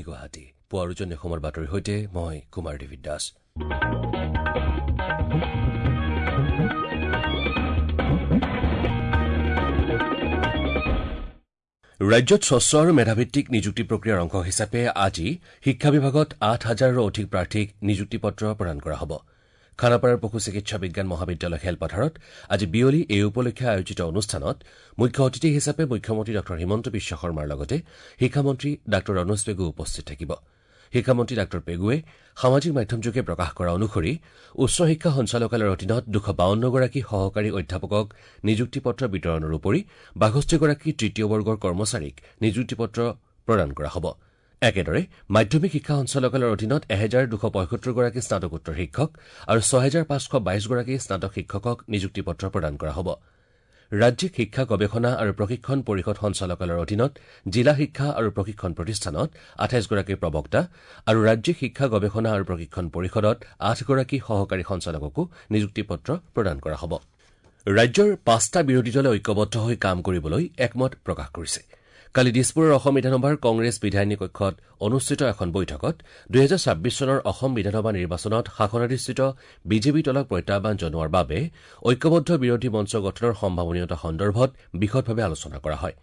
গুৱাহাটী। পুৱাৰ উজনি অসমৰ বাতৰিৰ সৈতে মই কুমাৰ দেৱী দাস। ৰাজ্যত স্বচ্ছ আৰু মেধাভিত্তিক নিযুক্তি প্ৰক্ৰিয়াৰ অংশ হিচাপে আজি শিক্ষা বিভাগত ৮ হাজাৰৰো অধিক প্ৰাৰ্থীক নিযুক্তি পত্ৰ প্ৰদান কৰা হ'ব। খানাপাৰাৰ পশু চিকিৎসা বিজ্ঞান মহাবিদ্যালয় খেলপথাৰত আজি বিয়লি এই উপলক্ষে আয়োজিত অনুষ্ঠানত মুখ্য অতিথি হিচাপে মুখ্যমন্ত্ৰী ডাঃ হিমন্ত বিশ্ব শৰ্মাৰ লগতে শিক্ষামন্ত্ৰী ডাঃ ৰণোজ পেগু উপস্থিত থাকিব। শিক্ষামন্ত্ৰী ডাঃ পেগুৱে সামাজিক মাধ্যমযোগে প্ৰকাশ কৰা অনুসৰি উচ্চ শিক্ষা সঞ্চালকালয়ৰ অধীনত 252গৰাকী সহকাৰী অধ্যাপকক নিযুক্তি পত্ৰ বিতৰণৰ উপৰি 62গৰাকী তৃতীয় বৰ্গৰ কৰ্মচাৰীক নিযুক্তি পত্ৰ প্ৰদান কৰা হ'ব। একেদৰে মাধ্যমিক শিক্ষা সঞ্চালকালয়ৰ অধীনত 1275গৰাকী স্নাতকোত্তৰ শিক্ষক আৰু 6522গৰাকী স্নাতক শিক্ষকক নিযুক্তি পত্ৰ প্ৰদান কৰা হ'ব। ৰাজ্যিক শিক্ষা গৱেষণা আৰু প্ৰশিক্ষণ পৰিষদ সঞ্চালকালয়ৰ অধীনত জিলা শিক্ষা আৰু প্ৰশিক্ষণ প্ৰতিষ্ঠানত 28গৰাকী প্ৰবক্তা আৰু ৰাজ্যিক শিক্ষা গৱেষণা আৰু প্ৰশিক্ষণ পৰিষদত 8গৰাকী সহকাৰী সঞ্চালককো নিযুক্তি পত্ৰ প্ৰদান কৰা হ'ব। ৰাজ্যৰ পাঁচটা বিৰোধী দলে ঐক্যবদ্ধ হৈ কাম কৰিবলৈ একমত প্ৰকাশ কৰিছে। কালি দিছপুৰৰ অসম বিধানসভাৰ কংগ্ৰেছ বিধায়িনী কক্ষত অনুষ্ঠিত এখন বৈঠকত 2026 চনৰ অসম বিধানসভা নিৰ্বাচনত শাসনাধিষ্ঠিত বিজেপি দলক প্ৰত্যাহ্বান জনোৱাৰ বাবে ঐক্যবদ্ধ বিৰোধী মঞ্চ গঠনৰ সম্ভাৱনীয়তা সন্দৰ্ভত বিশদভাৱে আলোচনা কৰা হয়।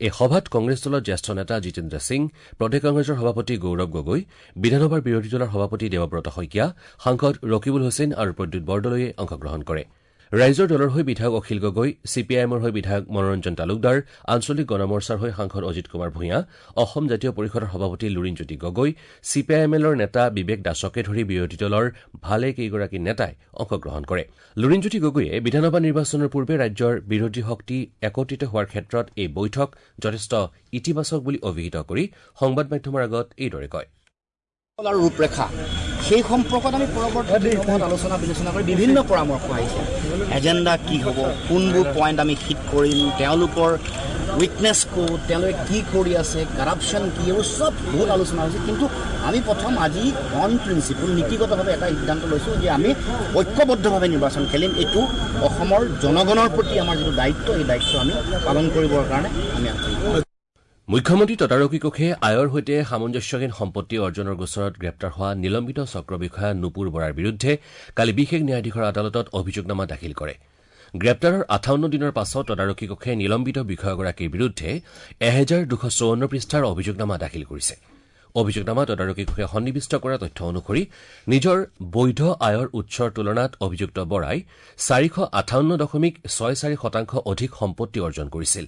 এই সভাত কংগ্ৰেছ দলৰ জ্যেষ্ঠ নেতা জিতেন্দ্ৰ সিং, প্ৰদেশ কংগ্ৰেছৰ সভাপতি গৌৰৱ গগৈ, বিধানসভাৰ বিৰোধী দলৰ সভাপতি দেৱব্ৰত শইকীয়া, সাংসদ ৰকিবুল হুছেইন আৰু প্ৰদ্যুৎ বৰদলৈয়ে অংশগ্ৰহণ কৰে। ৰাইজৰ দলৰ হৈ বিধায়ক অখিল গগৈ, চি পি আই এমৰ হৈ বিধায়ক মনোৰঞ্জন তালুকদাৰ, আঞ্চলিক গণমৰ্চাৰ হৈ সাংসদ অজিত কুমাৰ ভূঞা, অসম জাতীয় পৰিষদৰ সভাপতি Lurinjyoti Gogoi, C P I am এলৰ নেতা বিবেক দাসকে ধৰি বিৰোধী দলৰ ভালে কেইগৰাকী নেতাই অংশগ্ৰহণ কৰে। লুৰিণজ্যোতি গগৈয়ে বিধানসভা নিৰ্বাচনৰ পূৰ্বে ৰাজ্যৰ বিৰোধী শক্তি একত্ৰিত হোৱাৰ ক্ষেত্ৰত এই বৈঠক যথেষ্ট ইতিবাচক বুলি অভিহিত কৰি সংবাদ মাধ্যমৰ আগত এইদৰে কয়। আৰু ৰূপৰেখা সেই সম্পৰ্কত আমি পৰৱৰ্তী সময়ত আলোচনা বিলোচনা কৰি বিভিন্ন পৰামৰ্শ আহিছে। এজেণ্ডা কি হ'ব, কোনবোৰ পইণ্ট আমি হিট কৰিম, তেওঁলোকৰ উইকনেছ ক'ত, তেওঁলোকে কি কৰি আছে, কাৰাপশ্যন কি, এইবোৰ চব বহুত আলোচনা হৈছে। কিন্তু আমি প্ৰথম আজি অন প্ৰিন্সিপল নীতিগতভাৱে এটা সিদ্ধান্ত লৈছোঁ যে আমি ঐক্যবদ্ধভাৱে নিৰ্বাচন খেলিম। এইটো অসমৰ জনগণৰ প্ৰতি আমাৰ যিটো দায়িত্ব, এই দায়িত্ব আমি পালন কৰিবৰ কাৰণে আমি আগবাঢ়িম। মুখ্যমন্ত্ৰী তদাৰকী কোষে আয়ৰ সৈতে সামঞ্জস্যহীন সম্পত্তি অৰ্জনৰ গোচৰত গ্ৰেপ্তাৰ হোৱা নিলম্বিত চক্ৰ বিষয়া নুপুৰ বৰাৰ বিৰুদ্ধে কালি বিশেষ ন্যায়াধীশৰ আদালতত অভিযোগনামা দাখিল কৰে। গ্ৰেপ্তাৰৰ 58 দিনৰ পাছত তদাৰকী কোষে নিলম্বিত বিষয়াগৰাকীৰ বিৰুদ্ধে 1254 পৃষ্ঠাৰ অভিযোগনামা দাখিল কৰিছে। অভিযোগনামা তদাৰকী কোষে সন্নিৱিষ্ট কৰা তথ্য অনুসৰি নিজৰ বৈধ আয়ৰ উৎসৰ তুলনাত অভিযুক্ত বৰাই 458.64% অধিক সম্পত্তি অৰ্জন কৰিছিল।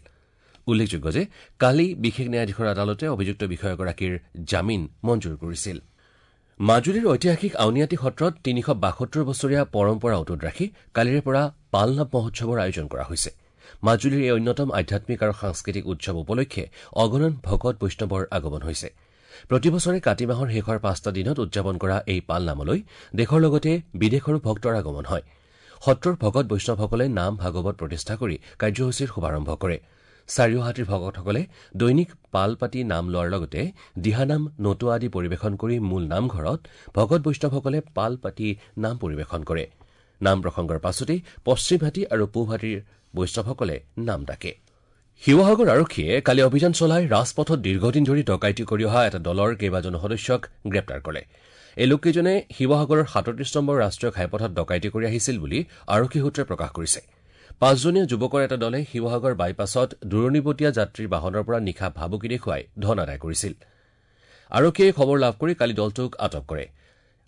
উল্লেখযোগ্য যে কালি বিশেষ ন্যায়াধীশৰ আদালতে অভিযুক্ত বিষয়াগৰাকীৰ জামিন মঞ্জুৰ কৰিছিল। মাজুলীৰ ঐতিহাসিক আউনীআটী সত্ৰত 372 বছৰীয়া পৰম্পৰা অটুট ৰাখি কালিৰে পৰা পালনাম মহোৎসৱৰ আয়োজন কৰা হৈছে। মাজুলীৰ এই অন্যতম আধ্যাত্মিক আৰু সাংস্কৃতিক উৎসৱ উপলক্ষে অগণন ভকত বৈষ্ণৱৰ আগমন হৈছে। প্ৰতি বছৰে কাতি মাহৰ শেষৰ পাঁচটা দিনত উদযাপন কৰা এই পালনামলৈ দেশৰ লগতে বিদেশৰো ভক্তৰ আগমন হয়। সত্ৰৰ ভকত বৈষ্ণৱসকলে নাম ভাগৱত প্ৰতিষ্ঠা কৰি কাৰ্যসূচীৰ শুভাৰম্ভ কৰে। চাৰিওহাটীৰ ভকতসকলে দৈনিক পাল পাতি নাম লোৱাৰ লগতে দিহানাম, নটুৱা আদি পৰিৱেশন কৰি মূল নামঘৰত ভকত বৈষ্ণৱসকলে পাল পাতি নাম পৰিৱেশন কৰে। নাম প্ৰসংগৰ পাছতেই পশ্চিমহাটী আৰু পূবহাটীৰ বৈষ্ণৱসকলে নাম ডাকে। শিৱসাগৰ আৰক্ষীয়ে কালি অভিযান চলাই ৰাজপথত দীৰ্ঘদিন ধৰি ডকাইতি কৰি অহা এটা দলৰ কেইবাজনো সদস্যক গ্ৰেপ্তাৰ কৰে। এই লোককেইজনে শিৱসাগৰৰ 37 নম্বৰ ৰাষ্ট্ৰীয় ঘাইপথত ডকাইতি কৰি আহিছিল বুলি আৰক্ষী সূত্ৰই প্ৰকাশ কৰিছে। পাঁচজনীয়া যুৱকৰ এটা দলে শিৱসাগৰ বাইপাছত দূৰণিবটীয়া যাত্ৰীৰ বাহনৰ পৰা নিশা ভাবুকি দেখুৱাই ধন আদায় কৰিছিল। আৰক্ষীয়ে খবৰ লাভ কৰি কালি দলটোক আটক কৰে।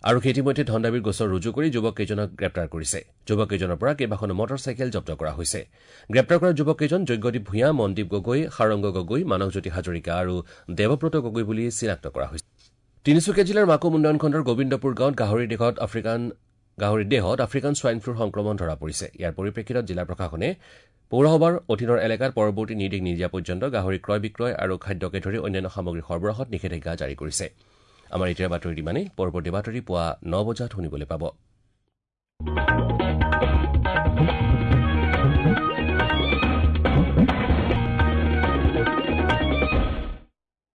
আৰক্ষীয়ে ইতিমধ্যে ধনদাবীৰ গোচৰ ৰুজু কৰি যুৱককেইজনক গ্ৰেপ্তাৰ কৰিছে। যুৱককেইজনৰ পৰা কেইবাখনো মটৰ চাইকেল জব্দ কৰা হৈছে। গ্ৰেপ্তাৰ কৰা যুৱককেইজন যজ্ঞদীপ ভূঞা, মনদীপ গগৈ, সাৰংগ গগৈ, মানসজ্যোতি হাজৰিকা আৰু দেৱব্ৰত গগৈ বুলি চিনাক্ত কৰা হৈছে। তিনিচুকীয়া জিলাৰ মাকুম উন্নয়ন খণ্ডৰ গোবিন্দপুৰ গাঁৱত গাহৰিৰ দেহত আফ্ৰিকান ছোৱাইন ফ্লুৰ সংক্ৰমণ ধৰা পৰিছে। ইয়াৰ পৰিপ্ৰেক্ষিতত জিলা প্ৰশাসনে পৌৰসভাৰ অধীনৰ এলেকাত পৰৱৰ্তী নিৰ্দেশ নিদিয়া পৰ্যন্ত গাহৰি ক্ৰয় বিক্ৰয় আৰু খাদ্যকে ধৰি অন্যান্য সামগ্ৰী সৰবৰাহত নিষেধাজ্ঞা জাৰি কৰিছে। আমাৰ এতিয়াৰ বাতৰি ইমানেই। পৰৱৰ্তী বাতৰি পুৱা 9 বজাত শুনিবলৈ পাব।